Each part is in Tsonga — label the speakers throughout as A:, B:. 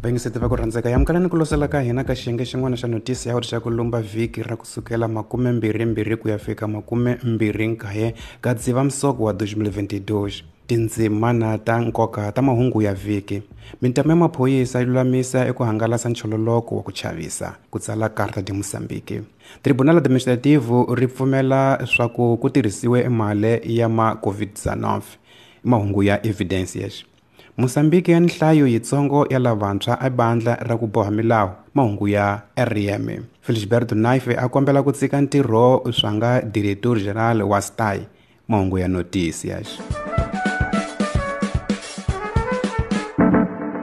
A: Vayingiseti va ku rhandzeka, amukelani ku losela ka hina ka xiyenge xin'wana xa notisi ya uri xa ku lumba vhiki ra kusukela 22 ku ya fika 29 ka Dzivamisoko wa 2022. Tindzimana ta nkoka ta mahungu ya vhiki. Mintama ya maphorisa yi lulamisa eku hangalasa nchololoko wa ku chavisa, ku tsala Carta de Moçambique. Tribunal Administrativo ri pfumela swa ku ku tirhisiwe mali ya ma COVID-19. Mahungu ya Evidências. Mozambique ya nhlayo yitsongo ya lavantshwa ebandla ra ku boha milawu. Mahungu ya RM. Felisberto Naife a kombela ku tshika ntirho swa nga Diretor General wa STAI. Mahungu ya Noticias.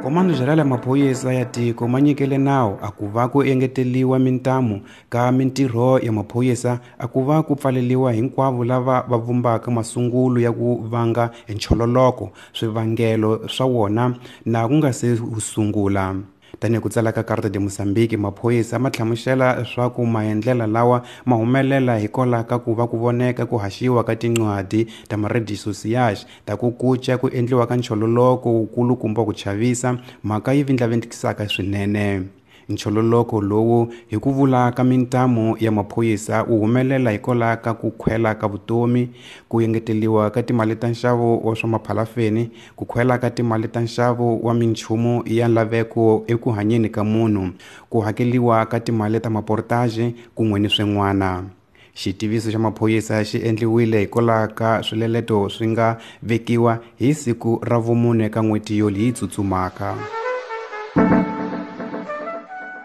A: Komando Geral ya maphorisa ya tiko ma nyikele nawu a ku va ku engeteliwa mintamu ka mintirho ya maphorisa a ku va ku pfaleliwa hinkwavo lava va vumbaka masungulo ya ku vanga nchololoko swivangelo swa wona na ku nga se sungula. Tanihi ku tsala ka Carta de Moçambique, maphorisa ma hlamusela swa ku maendlela lawa ma humelela hikwalaho ka ku va ku voneka ku haxiwa ka tincwadi ta ma-redes sociais ta ku kuca ku endliwa ka nchololoko wukulukumba ku chavisa, mhaka yi vindlavindlikisaka swinene. Nchololoko lowu hi ku vula ka mintamu ya maphorisa wu humelela hikwalaho ka ku khwela ka vutomi, ku engeteliwa ka timali ta nxavo wa swa maphalafeni, ku khwela ka timali ta nxavo wa minchumu ya laveko eku hanyeni ka munhu, ku hakeliwa ka timali ta maportage kun'we ni swin'wana. Xitiviso xa maphorisa xi endliwile hikwalaho ka swileleto swi nga vekiwa hi siku ra vumune ka n'hweti yoleyi tsutsumaka.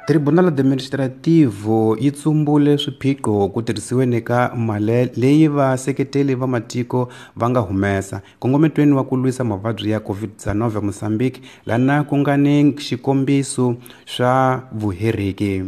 A: Tribunal Administrativo yi tsumbule swiphiqo ku tirhisiweni ka mali leyi vaseketeli va matiko va nga humesa nkongometweni wa ku lwisa mavabyi ya COVID-19 eMozambique, lana ku nga ni xikombiso swa vuheriki.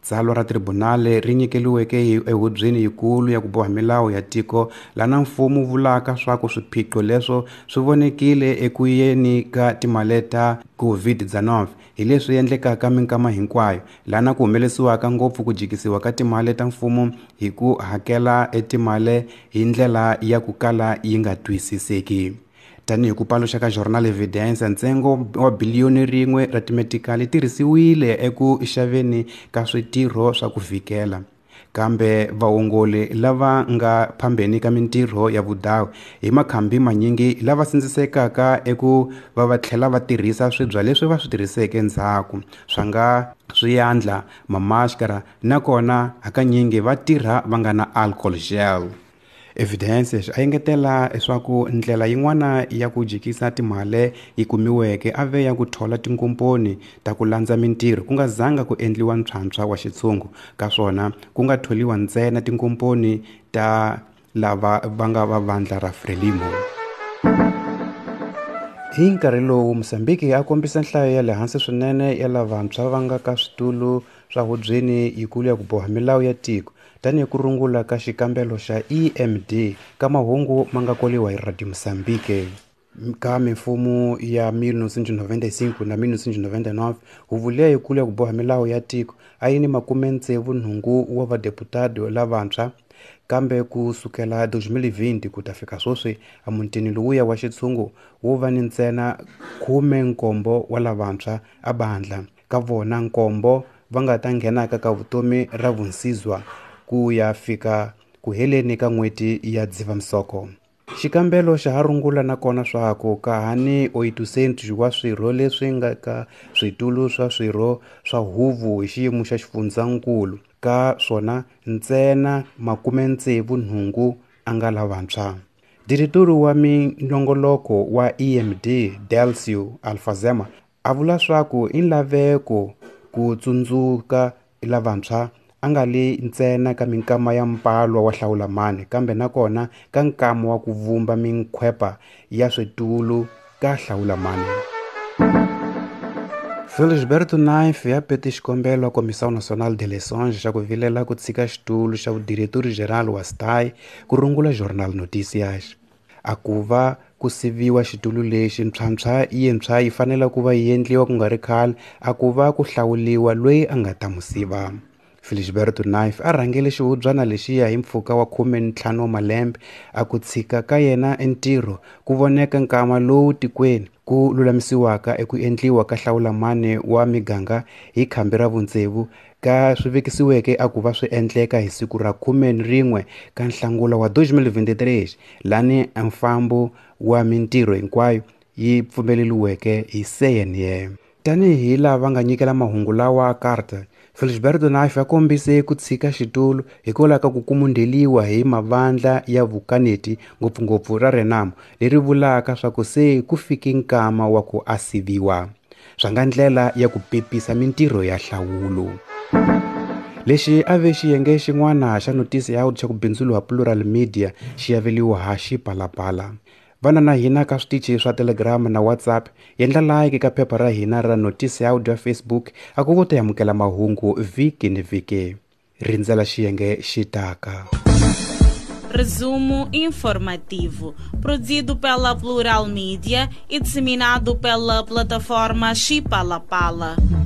A: Tsalwa ra tribunal ri nyikeliweke ehubyeni yikulu ya ku boha milawu ya tiko lana mfumo vulaka swa ku swiphiqo leswo swi vonekile eku yeni ka timali ta COVID-19 hi leswi endlekaka minkama hinkwayo, lana ku humelesiwaka ngopfu ku jikisiwa ka timali ta mfumo hi ku hakela etimali hi ndlela ya ku kala yi nga twisiseki. Tanihi ku paluxa ka Jornal Evidência, ntsengo wa biliyoni rin'we ra timetikali tirhisiwile eku xaveni ka switirho swa ku vhikela. Kambe vaongoli lava nga phambeni ka mintirho ya vudawu hi makhambi manyingi lava sindzisekaka eku va va tlhela va tirhisa swibya leswi va swi tirhiseke ndzhaku swa nga swiandla, mamaskara, nakona hakanyingi va tirha va nga na alcohol gel. Evidências a engetela leswaku ndlela yin'wana ya ku jikisa timali yi kumiweke a ve ya ku thola tinkomponi ta ku landza mintirho ku nga zanga ku endliwa ntlhantlha wa xitshungu ka swona ku nga tholiwa ntsena tinkomponi ta lava va nga va vandla ra Frelimo. Hi nkarhi lowu Mozambique a kombisa nhlayo ya le hansi swinene ya lavantshwa va nga ka switulu swa hubyeni yikulu ya ku boha milawu ya tiko, tanihi ku rungula ka xikambelo xa EMD ka mahungu ma nga koliwa hi Radio Mozambique. Ka mimfumo ya 1995 na 1999, huvo liya yikulu ya ku boha milawu ya tiko a yi ni 68 wa vadeputado lavantshwa, kambe ku sukela 2020 ku ta fika sweswi emutini lowuya wa xitshungu wo va ni ntsena 17 wa lavantshwa ebandla, ka vona 7 va nga ta nghenaka ka vutomi ra vunsizwa ku ya fika ku heleni ka n'hweti ya Dzivamisoko. Xikambelo xa ha rungula nakona swa ku ka ha ni 800 wa swirho leswi nga ka switulu swa swirho swa huvo hi xiyimo xa xifundzankulu, ka swona ntsena 68 a nga lavantshwa. Diretori wa minongoloko wa EMD Delcio Alfazema a vula swa ku i laveko ku tsundzuka lavantshwa a nga li ntsena ka minkama ya mpalwa wa hlawulamani kambe nakona ka nkama wa ku vumba minkhwepa ya switulu ka hlawulamani. Felisberto Naife a pete xikombelo a Comissão Nacional de Eleições xa ku vilela ku tshika xitulu xa vudiretori geral wa STAI ku rungula Jornal Noticias. A ku va ku siviwa xitulu lexi ntlhantlha yintshwa yi fanele ku va yi endliwa ku nga ri khale a ku va ku hlawuliwa loyi a nga ta mu siva. Felisberto Naife a rhangele xihubyana lexiya hi mpfhuka wa 15 wa malembe a ku tshika ka yena entirho ku voneka nkama lowu tikweni ku lulamisiwaka eku endliwa ka hlawulamani wa miganga hi khambi ra vutsevu ka swi vekisiweke a ku va swi endleka hi siku ra 11 ka Nhlangula wa 2023, lani mfambo wa mintirho hinkwayo yi pfumeleriweke hi CNE. Tanihi lava nga nyikela mahungu lawa carta, Felisberto Nafe a kombise ku tshika xitulu hikwalaho ka ku kumundheliwa hi mavandla ya vukaneti, ngopfungopfu ra Renamo, leri vulaka swa ku se ku fike nkama wa ku a siviwa. Swa nga ndlela ya ku pepisa mintirho ya hlawulo. Lexi a ve xiyenge xin'wana xa notisi ya xa ku bindzuriwa Plural Media xi aveliwa ha Xipalapala. Vana na hina ka switichi swa Telegram na WhatsApp, endla like ka phepha ra hina ra Notisi ya Audio Facebook a ku ta amukela mahungu vhiki ni vhiki. Rindzela xiyenge xi taka.
B: Resumo informativo, produzido pela Plural Mídia e disseminado pela plataforma Chipalapala.